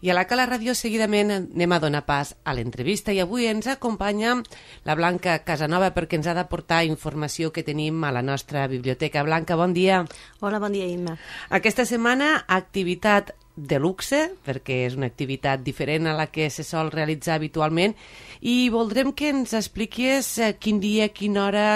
I a la Cala Ràdio seguidament anem a donar pas a l'entrevista i avui ens acompanya la Blanca Casanova perquè ens ha de portar informació que tenim a la nostra biblioteca. Blanca, bon dia. Hola, bon dia, Imma. Aquesta setmana, activitat de luxe, perquè és una activitat diferent a la que se sol realitzar habitualment, i voldrem que ens expliquis quin dia, quina hora,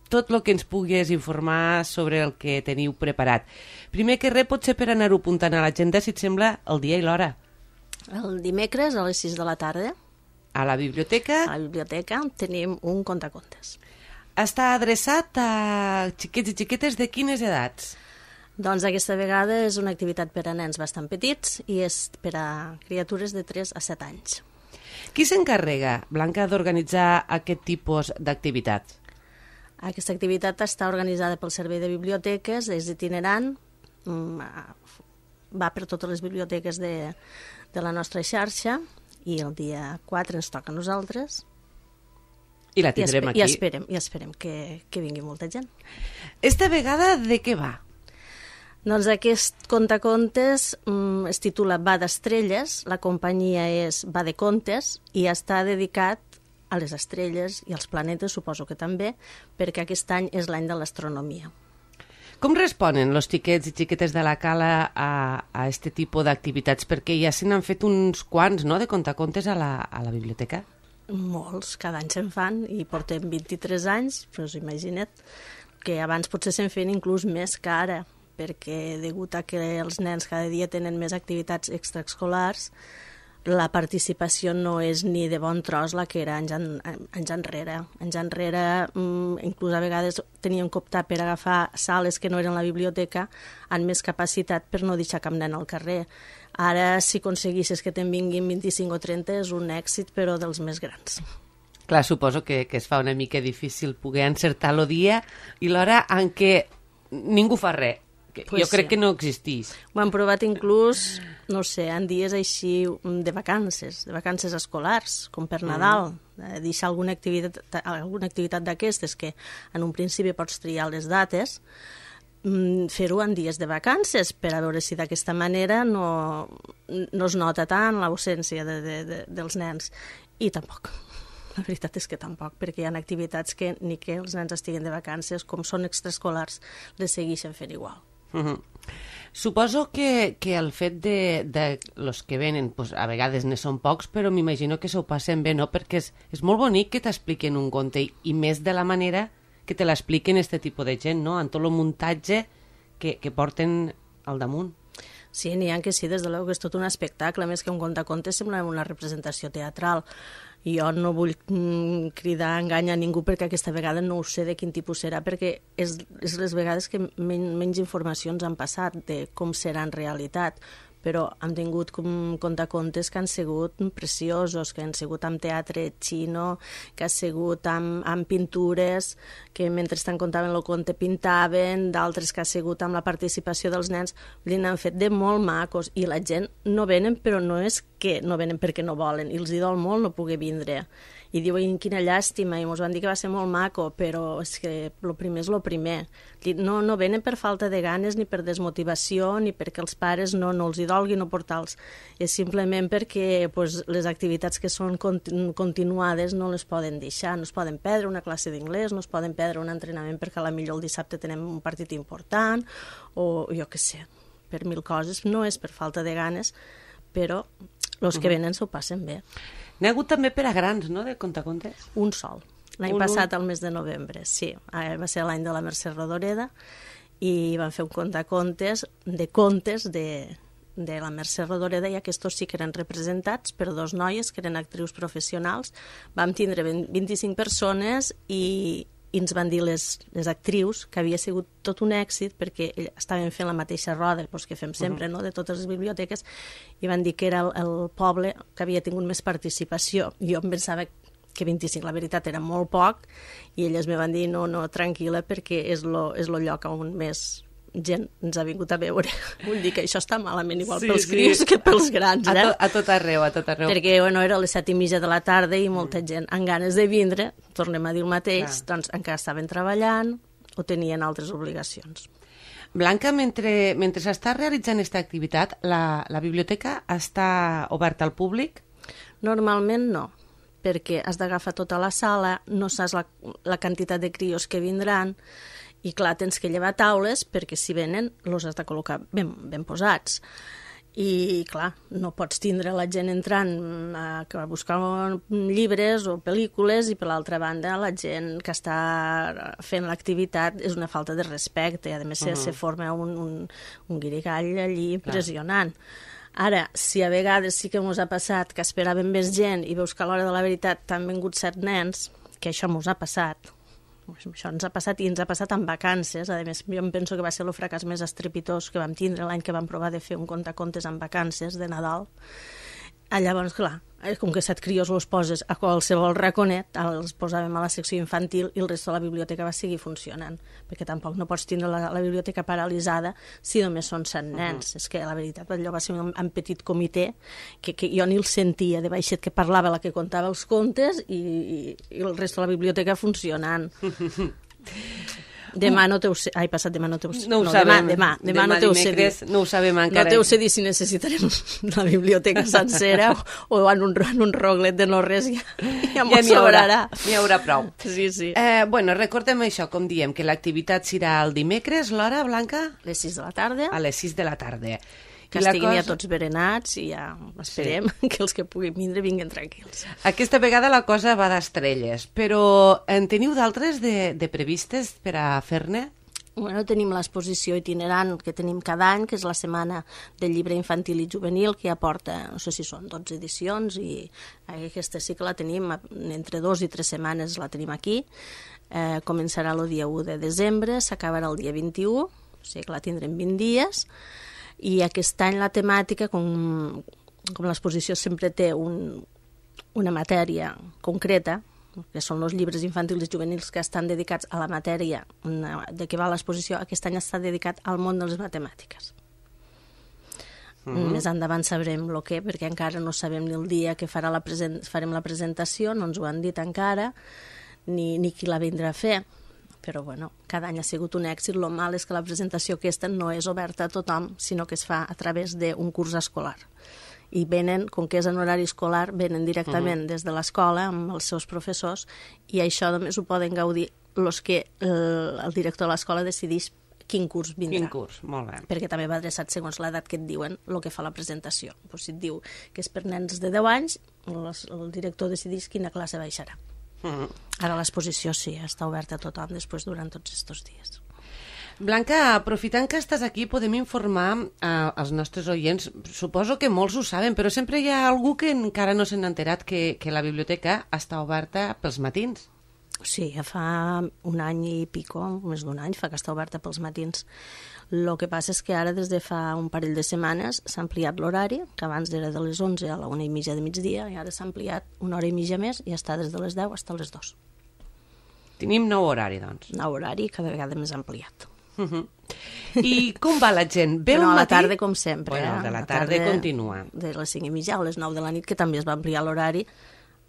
tot el que ens puguis informar sobre el que teniu preparat. Primer que res, potser per anar-ho apuntant a l'agenda, si et sembla, el dia i l'hora. El dimecres a les 6 de la tarda. A la biblioteca. A la biblioteca tenim un contacontes. Està adreçat a xiquets i xiquetes de quines edats? Doncs aquesta vegada és una activitat per a nens bastant petits i és per a criatures de 3 a 7 anys. Qui s'encarrega, Blanca, d'organitzar aquest tipus d'activitats? Aquesta activitat està organitzada pel Servei de Biblioteques, és itinerant, va per totes les biblioteques de la nostra xarxa i el dia 4 ens toca a nosaltres. I la tindrem aquí. I esperem que vingui molta gent. Esta vegada de què va? Doncs aquest contacontes es titula Va d'estrelles, la companyia és Va de contes i està dedicat a les estrelles i als planetes, suposo que també, perquè aquest any és l'any de l'astronomia. Com responen els xiquets i xiquetes de la Cala a este tipus d'activitats? Perquè ja se n'han fet uns quants, no?, de contacontes a la biblioteca. Molts, cada any se'n fan i portem 23 anys, però us imagina't que abans potser se'n feien inclús més que ara, perquè degut a que els nens cada dia tenen més activitats extraescolars, la participació no és ni de bon tros la que era anys enrere. Anys enrere, inclús a vegades teníem que optar per agafar sales que no eren la biblioteca amb més capacitat per no deixar cap nen al carrer. Ara, si aconseguissis que te'n vinguin 25 o 30, és un èxit, però dels més grans. Clar, suposo que es fa una mica difícil poder encertar el dia i l'hora en què ningú fa res. Jo crec que no existís. Ho han provat inclús, no sé, en dies així de vacances escolars, com per Nadal. Deixar alguna activitat d'aquestes que en un principi pots triar les dates, fer-ho en dies de vacances per a veure si d'aquesta manera no es nota tant l'ausència dels nens. I tampoc. La veritat és que tampoc, perquè hi ha activitats que ni que els nens estiguen de vacances, com són extraescolars, les segueixen fent igual. Suposo que el fet de los que venen, pues, a vegades ne són pocs, però m'imagino que s'ho passen bé, no? Perquè és molt bonic que t'expliquen un conte i més de la manera que te l'expliquen este tipus de gent, no? En tot el muntatge que porten al damunt. Sí, n'hi ha que sí, des de l'eu que és tot un espectacle, més que un contacontes sembla una representació teatral. Jo no vull cridar engany a ningú perquè aquesta vegada no ho sé de quin tipus serà, perquè és les vegades que menys informacions han passat de com serà en realitat, però han tingut contacontes que han sigut preciosos, que han sigut amb teatre xino, que ha sigut amb pintures, que mentre contaven el conte pintaven, d'altres que ha sigut amb la participació dels nens, n'han fet de molt macos, i la gent no venen, però no és que no venen perquè no volen, i els hi dol molt no poder vindre. I diuen, quina llàstima, i ens van dir que va ser molt maco, però és que el primer és el primer. No venen per falta de ganes, ni per desmotivació, ni perquè els pares no els hi dolgui no portar-los. És simplement perquè les activitats que són continuades no les poden deixar, no es poden perdre una classe d'inglès, no es poden perdre un entrenament perquè potser el dissabte tenem un partit important, o jo què sé, per mil coses. No és per falta de ganes, però els que venen s'ho passen bé. N'hi ha hagut també per a grans, no?, de contacontes? Un sol. L'any passat, al mes de novembre, sí. Va ser l'any de la Mercè Rodoreda i van fer un contacontes de contes de la Mercè Rodoreda i aquests sí que eren representats per 2 noies que eren actrius professionals. Vam tindre 25 persones i ens van dir les actrius que havia sigut tot un èxit perquè estaven fent la mateixa roda que fem sempre, no?, de totes les biblioteques, i van dir que era el poble que havia tingut més participació. Jo em pensava que 25, la veritat, era molt poc, i elles me van dir, no, tranquil·la, perquè és el lloc on més gent ens ha vingut a veure. Vull dir que això està malament igual pels crios que pels grans, A tot arreu. Perquè, era a les 7:30 de la tarda i molta gent amb ganes de vindre, tornem a dir el mateix, doncs encara estaven treballant o tenien altres obligacions. Blanca, mentre s'està realitzant aquesta activitat, la biblioteca està oberta al públic? Normalment no, perquè has d'agafar tota la sala, no saps la quantitat de crios que vindran, i clar, tens que llevar taules perquè si venen els has de col·locar ben posats. I clar, no pots tindre la gent entrant a buscar llibres o pel·lícules i per l'altra banda la gent que està fent l'activitat és una falta de respecte i a més se forma un guirigall allí impressionant. Ara, si a vegades sí que ens ha passat que esperàvem més gent i veus que a l'hora de la veritat t'han vingut 7 nens, que això ens ha passat, això ens ha passat i ens ha passat en vacances. A més, jo em penso que va ser el fracàs més estrepitós que vam tindre l'any que vam provar de fer un contacontes en vacances de Nadal. Llavors, clar, com que 7 crios els poses a qualsevol raconet, els posàvem a la secció infantil i el resto de la biblioteca va seguir funcionant, perquè tampoc no pots tindre la biblioteca paralitzada si només són 7 nens. És que la veritat allò va ser un petit comitè que jo ni el sentia, de baixet que parlava la que contava els contes i el resto de la biblioteca funcionant. Demà no te ho sé... Ai, passat demà no te ho sé... No ho sabem. Demà no te ho sé dir. No ho sabem encara. No te ho sé dir si necessitarem la biblioteca sencera o en un roglet de no res ja m'ho sobrarà. N'hi haurà prou. Sí. Bueno, recordem això, com diem, que l'activitat serà el dimecres, l'hora, Blanca? A les 6 de la tarda. A les 6 de la tarda. Que estiguin ja tots berenats i ja esperem que els que puguin vindre vinguin tranquils. Aquesta vegada la cosa va d'estrelles, però en teniu d'altres de previstes per a fer-ne? Bueno, tenim l'exposició itinerant que tenim cada any, que és la Setmana del Llibre Infantil i Juvenil, que ja porta, no sé si són 12 edicions, i aquesta sí que la tenim, entre 2 i 3 setmanes la tenim aquí. Començarà el dia 1 de desembre, s'acabarà el dia 21, o sigui que la tindrem 20 dies, i aquest any la temàtica, com l'exposició sempre té una matèria concreta, que són els llibres infantils i juvenils que estan dedicats a la matèria de què va l'exposició, aquest any està dedicat al món de les matemàtiques. Més endavant sabrem el què, perquè encara no sabem ni el dia que farem la presentació, no ens ho han dit encara, ni qui la vindrà a fer. Però bueno, cada any ha sigut un èxit. El mal és que la presentació aquesta no és oberta a tothom, sinó que es fa a través d'un curs escolar. I venen, com que és en horari escolar, venen directament des de l'escola amb els seus professors i això només ho poden gaudir els que el director de l'escola decideix quin curs vindrà. Quin curs, molt bé. Perquè també va adreçat segons l'edat que et diuen el que fa la presentació. Pues si et diu que és per nens de 10 anys, el director decideix quina classe baixarà. Ara l'exposició sí, està oberta a tothom després durant tots aquests dies. Blanca, aprofitant que estàs aquí, podem informar als nostres oients, suposo que molts ho saben, però sempre hi ha algú que encara no s'han enterat que la biblioteca està oberta pels matins. Sí, ja fa un any i pico, més d'un any, fa que està oberta pels matins. El que passa és que ara, des de fa un parell de setmanes, s'ha ampliat l'horari, que abans era de les 11 a la 1:30 de migdia, i ara s'ha ampliat una hora i mitja més i està des de les 10 fins a les 2. Tenim nou horari, doncs. Nou horari, cada vegada més ampliat. I com va la gent? Ve bueno, un a la matí? Tarda, com sempre. Bueno, de la tarda continua. De les 5:30 a les 9 de la nit, que també es va ampliar l'horari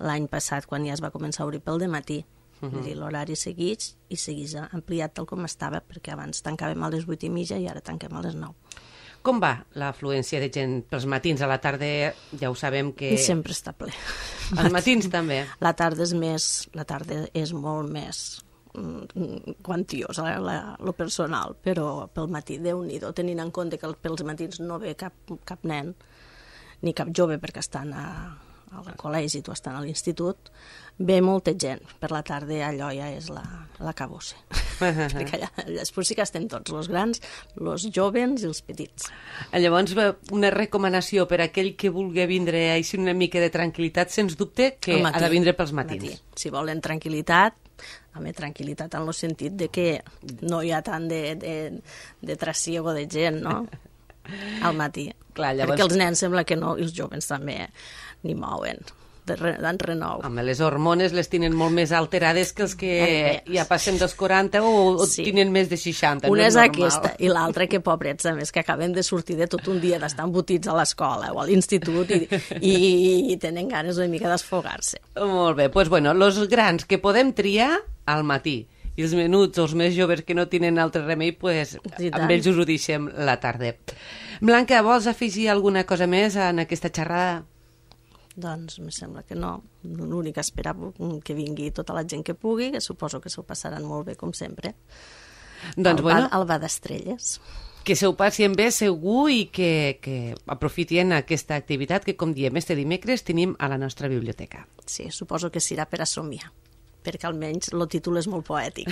l'any passat, quan ja es va començar a obrir pel dematí. L'horari segueix i segueix ampliat tal com estava, perquè abans tancàvem a les 8:30 i ara tanquem a les 9. Com va l'afluència de gent pels matins? A la tarda ja ho sabem que... Sempre està ple. Els matins també? La tarda és molt més quantiosa, lo personal, però pel matí, Déu-n'hi-do, tenint en compte que pels matins no ve cap nen, ni cap jove perquè estan al col·legi o estan a l'institut, ve molta gent. Per la tarda allò ja és la cabossa. Perquè allà després sí que estem tots, els grans, els joves i els petits. Llavors, una recomanació per a aquell que vulgui vindre així una mica de tranquil·litat, sens dubte, que ha de vindre pels matins. Si volen tranquil·litat, tranquil·litat en el sentit de que no hi ha tant de trasiego de gent, no?, al matí. Clar, llavors... Perquè els nens sembla que no, i els joves també ni mouen d'en renou. Home, les hormones les tenen molt més alterades que els que ja passen dels 40 o sí, tenen més de 60. Una no és aquesta, i l'altra que pobrets, a més, que acaben de sortir de tot un dia d'estar embotits a l'escola o a l'institut i tenen ganes una mica d'esfogar-se. Molt bé, doncs bueno, els grans que podem triar al matí i els menuts o els més joves que no tenen altre remei, pues, amb ells us ho deixem la tarda. Blanca, vols afegir alguna cosa més en aquesta xerrada? Doncs em sembla que no. L'únic que esperava que vingui tota la gent que pugui, que suposo que s'ho passaran molt bé, com sempre. Doncs, al Ball d'Estrelles. Que s'ho passin bé segur i que aprofitien aquesta activitat que, com diem, este dimecres tenim a la nostra biblioteca. Sí, suposo que serà per a somiar, perquè almenys el títol és molt poètic.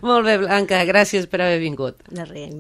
Molt bé, Blanca, gràcies per haver vingut. De res,